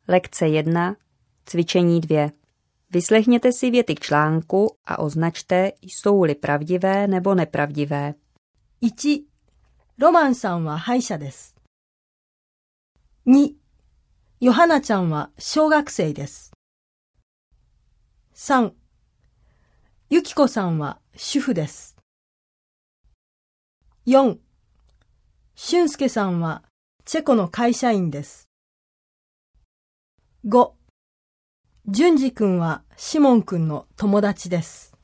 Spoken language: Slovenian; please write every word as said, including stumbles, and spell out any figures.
Lekce jedna, cvičení dvě. Vyslechněte si věty k článku a označte, jsou-li pravdivé nebo nepravdivé. いち、ロマンさんは歯医者です。に、ヨハナちゃんは小学生です。さん、ユキコさんは主婦です。よん、俊介さんはチェコの会社員です。ご、淳二くんはシモンくんの友達です。